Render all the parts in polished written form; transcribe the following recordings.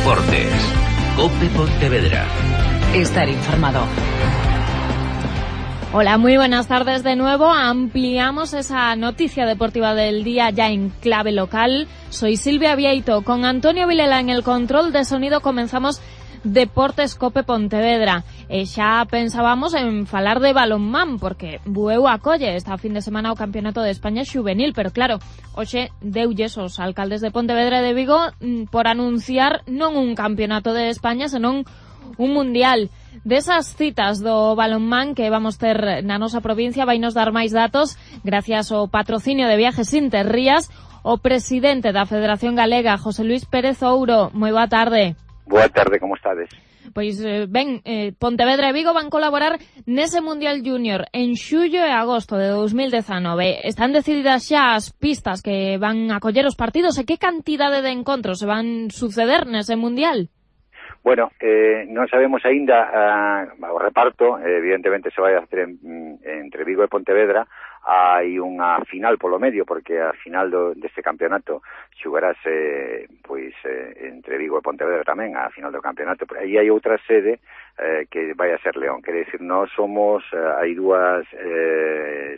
Deportes. COPE Pontevedra. Estar informado. Hola, muy buenas tardes de nuevo. Ampliamos esa noticia deportiva del día ya en clave local. Soy Silvia Vieito. Con Antonio Vilela en el control de sonido comenzamos Deportes COPE Pontevedra. Xa pensábamos en falar de balonmán, porque Bueu acolle esta fin de semana o Campeonato de España Xuvenil, pero claro, hoxe deulles os alcaldes de Pontevedra e de Vigo por anunciar non un Campeonato de España, senón un mundial. Desas citas do balonmán que vamos ter na nosa provincia vai nos dar máis datos gracias ao patrocinio de Viajes Interrías o presidente da Federación Galega, José Luis Pérez Ouro. Moi boa tarde. Boa tarde, como estades? Pois Pontevedra e Vigo van colaborar nese Mundial Junior en xullo e agosto de 2019. Están decididas xa as pistas que van a coller os partidos e que cantidade de encontros se van suceder nese Mundial? Bueno, non sabemos aínda o reparto, evidentemente se vai a hacer entre Vigo e Pontevedra. Hai unha final polo medio, porque a final deste campeonato xugarase entre Vigo e Pontevedra tamén, a final do campeonato. Pero aí hai outra sede que vai a ser León. Quere dicir, nós somos, hai dúas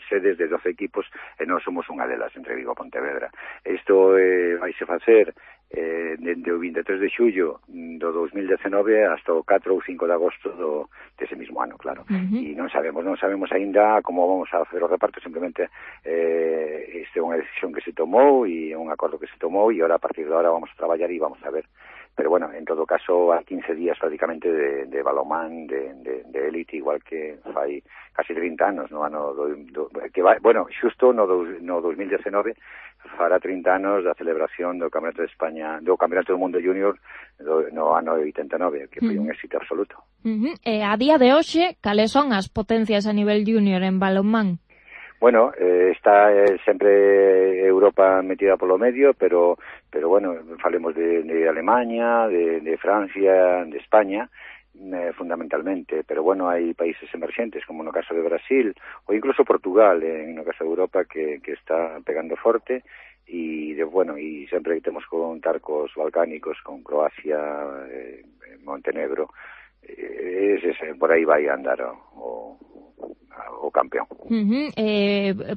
sedes de 12 equipos e nós somos unha delas entre Vigo e Pontevedra. Isto vaise facer dende o 23 de xullo do 2019 hasta o 4 ou 5 de agosto dese mismo ano, claro. E non sabemos aínda como vamos a facer o reparto. Simplemente este é unha decisión que se tomou e un acordo que se tomou, e ahora a partir de ahora vamos a traballar e vamos a ver. Pero bueno, en todo caso, a 15 días prácticamente de balonmán de élite, igual que fai casi 30 anos, no ano xusto no 2019 fará 30 anos da celebración do Campeonato de España, do Campeonato do Mundo Junior no ano 89, que foi un éxito absoluto. A día de hoxe, cales son as potencias a nivel junior en balonmán? Bueno, está sempre Europa metida polo medio, pero bueno, falemos de Alemania, de Francia, de España, fundamentalmente, pero bueno, hai países emerxentes, como no caso de Brasil, ou incluso Portugal, no caso de Europa, que está pegando forte, e sempre temos que contar cos balcánicos, con Croacia, Montenegro, por aí vai andar o campeón.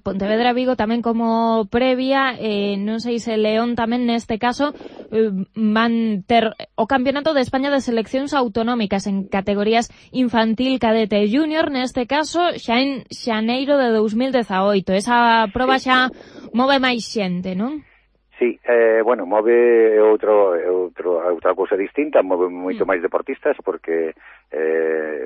Pontevedra Vigo tamén como previa, non sei se León tamén neste caso van ter o Campeonato de España de seleccións autonómicas en categorías infantil, cadete e junior, neste caso xa en xaneiro de 2018. Esa proba xa move máis xente, non? Sí, move outra cousa distinta, move moito máis deportistas, porque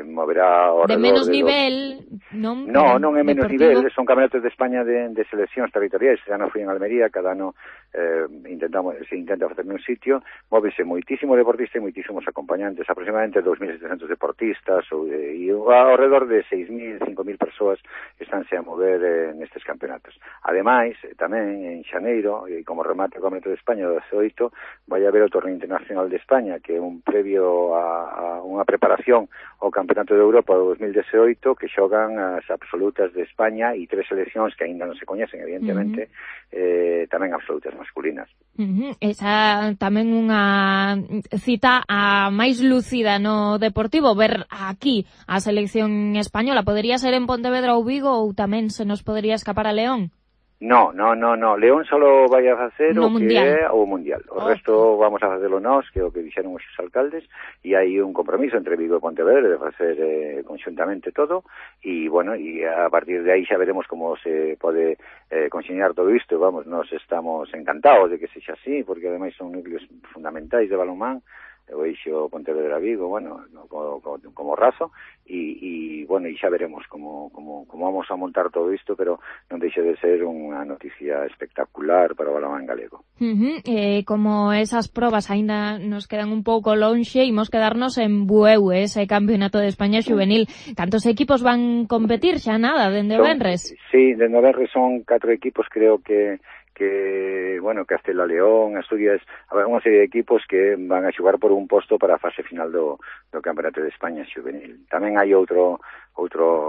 moverá ao redor de menos nivel, non? Non é menos nivel, son campeonatos de España de seleccións territoriais. Cada ano fui en Almería, cada ano se intenta facer un sitio. Móvese moitísimo deportista e moitísimos acompañantes, aproximadamente 2.700 deportistas, e ao redor de 6.000, 5.000 persoas estánse a mover nestes campeonatos. Ademais, tamén en xaneiro, e como remate o Campeonato de España do 18, vai haber o Torneo Internacional de España, que é un previo a unha preparación ao Campeonato de Europa do 2018, que xogan as absolutas de España e 3 seleccións que aínda non se coñecen, evidentemente, tamén absolutas masculinas. Esa tamén unha cita a máis lúcida no deportivo, ver aquí a selección española. Podería ser en Pontevedra ou Vigo, ou tamén se nos podería escapar a León? No. León solo vai a facer o que é o Mundial. O resto vamos a facelo nós, que é o que dixeron os alcaldes, e hai un compromiso entre Vigo e Pontevedra de facer conxuntamente todo, e a partir de aí xa veremos como se pode conxeñar todo isto. Nós estamos encantados de que sexa así, porque ademais son núcleos fundamentais de balonmán, o eixo Pontevedra-Vigo, como razo, e xa veremos como vamos a montar todo isto, pero non deixa de ser unha noticia espectacular para o balonmán galego. Como esas probas aínda nos quedan un pouco lonxe, imos quedarnos en Bueu, ese Campeonato de España Xuvenil. Cantos equipos van competir? Xa nada, dende o venres? Sí, dende o venres son 4 equipos, creo que que, bueno, Castela León, Asturias, habrá unha serie de equipos que van a xogar por un posto para a fase final do Campeonato de España Xuvenil. Tamén hai outro,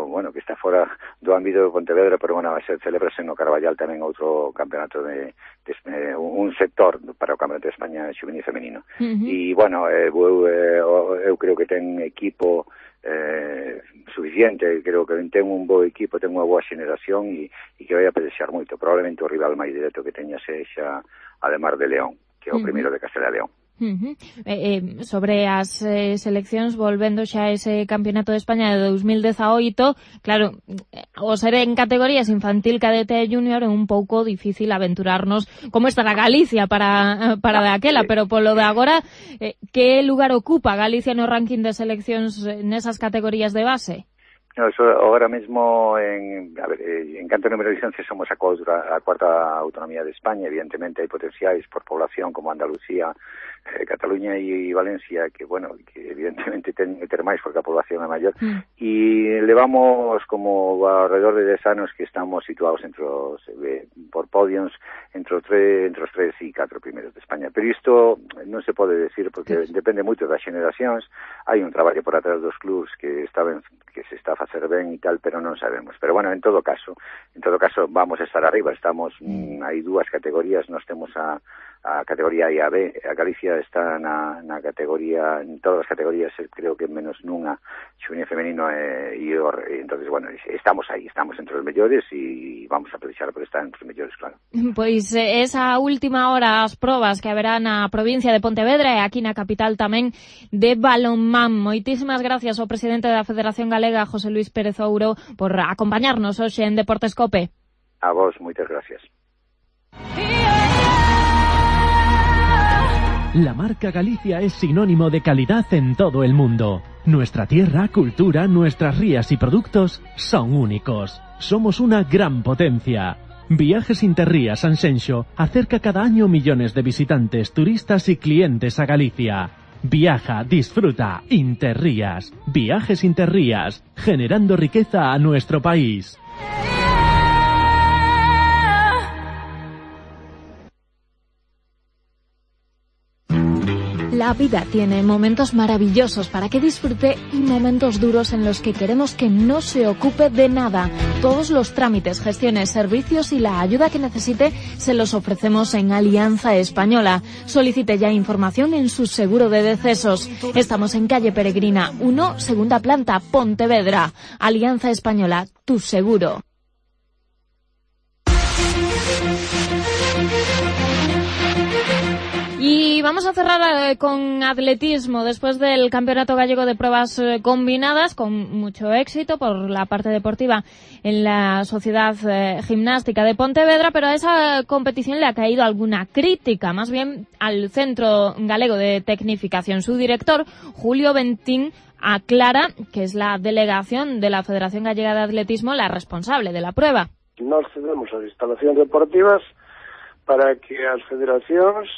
bueno, que está fora do ámbito de Pontevedra, pero bueno, vai ser celebrase no Carballal tamén outro campeonato un sector para o Campeonato de España Xuvenil femenino. E, bueno, eu creo que ten equipo suficiente, creo que ten un bo equipo, ten unha boa xeneración e que vai a pelexar moito. Probablemente o rival máis directo que teña sexa ademar de León, que é o primeiro de Castela León. Sobre as seleccións, volvendo xa a ese Campeonato de España de 2018, claro, o ser en categorías infantil, cadete e junior é un pouco difícil aventurarnos como estará Galicia para daquela, pero polo de agora, que lugar ocupa Galicia no ranking de seleccións nesas categorías de base? No, eso ahora mismo, en canto número de licencias, somos a cuarta autonomía de España. Evidentemente hai potenciais por población como Andalucía, Cataluña e Valencia, que, bueno, que evidentemente ten que ter máis porque a población é maior. E levamos como alrededor de 10 anos que estamos situados por podiums entre os 3 e 4 primeiros de España. Pero isto non se pode decir porque depende moito das xeneracións. Hai un traballo por atrás dos clubs que se está a facer ben e tal, pero non sabemos. Pero bueno, en todo caso vamos a estar arriba. Hai dúas categorías, nós temos a categoría A e a B. A Galicia está na categoría, en todas as categorías, creo que menos nunha, xuvenil femenino e entonces, bueno, estamos aí, estamos entre os mellores e vamos a pelexar por estar entre os mellores, claro. Pois esa última hora as probas que haberá na provincia de Pontevedra e aquí na capital tamén de balonmán. Moitísimas gracias ao presidente da Federación Galega, José Luis Pérez Ouro, por acompañarnos hoxe en Deportes Cope. A vos, moitas gracias. La marca Galicia es sinónimo de calidad en todo el mundo. Nuestra tierra, cultura, nuestras rías y productos son únicos. Somos una gran potencia. Viajes Interrías Sanxenxo acerca cada año millones de visitantes, turistas y clientes a Galicia. Viaja, disfruta, Interrías. Viajes Interrías, generando riqueza a nuestro país. La vida tiene momentos maravillosos para que disfrute y momentos duros en los que queremos que no se ocupe de nada. Todos los trámites, gestiones, servicios y la ayuda que necesite se los ofrecemos en Alianza Española. Solicite ya información en su seguro de decesos. Estamos en calle Peregrina 1, segunda planta, Pontevedra. Alianza Española, tu seguro. Y vamos a cerrar con atletismo después del Campeonato Gallego de Pruebas Combinadas, con mucho éxito por la parte deportiva en la Sociedad Gimnástica de Pontevedra, pero a esa competición le ha caído alguna crítica, más bien al Centro Galego de Tecnificación. Su director, Julio Bentín, aclara que es la delegación de la Federación Gallega de Atletismo la responsable de la prueba. Nós cedemos as instalacións deportivas para que as federacións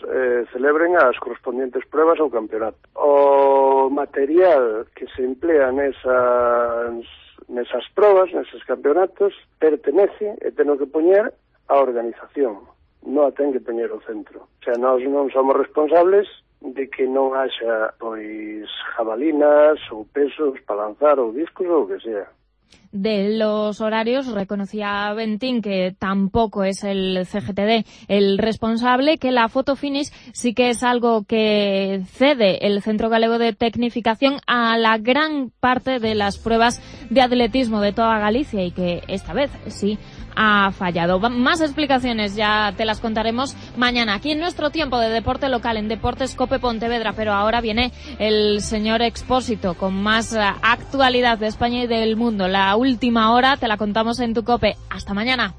celebren as correspondientes pruebas ao campeonato. O material que se emplea nesas pruebas, neses campeonatos, pertenece e ten que poñer a organización, non a ten que poñer o centro. O sea, nós non somos responsables de que non haxa, pois, jabalinas ou pesos para lanzar ou discos ou o que sea. De los horarios, reconocía Bentín que tampoco es el CGTD el responsable, que la foto finish sí que es algo que cede el Centro Galego de Tecnificación a la gran parte de las pruebas de atletismo de toda Galicia y que esta vez sí ha fallado. Más explicaciones ya te las contaremos mañana aquí en nuestro tiempo de deporte local en Deportes Cope Pontevedra, pero ahora viene el señor Expósito con más actualidad de España y del mundo. La última hora te la contamos en tu Cope. Hasta mañana.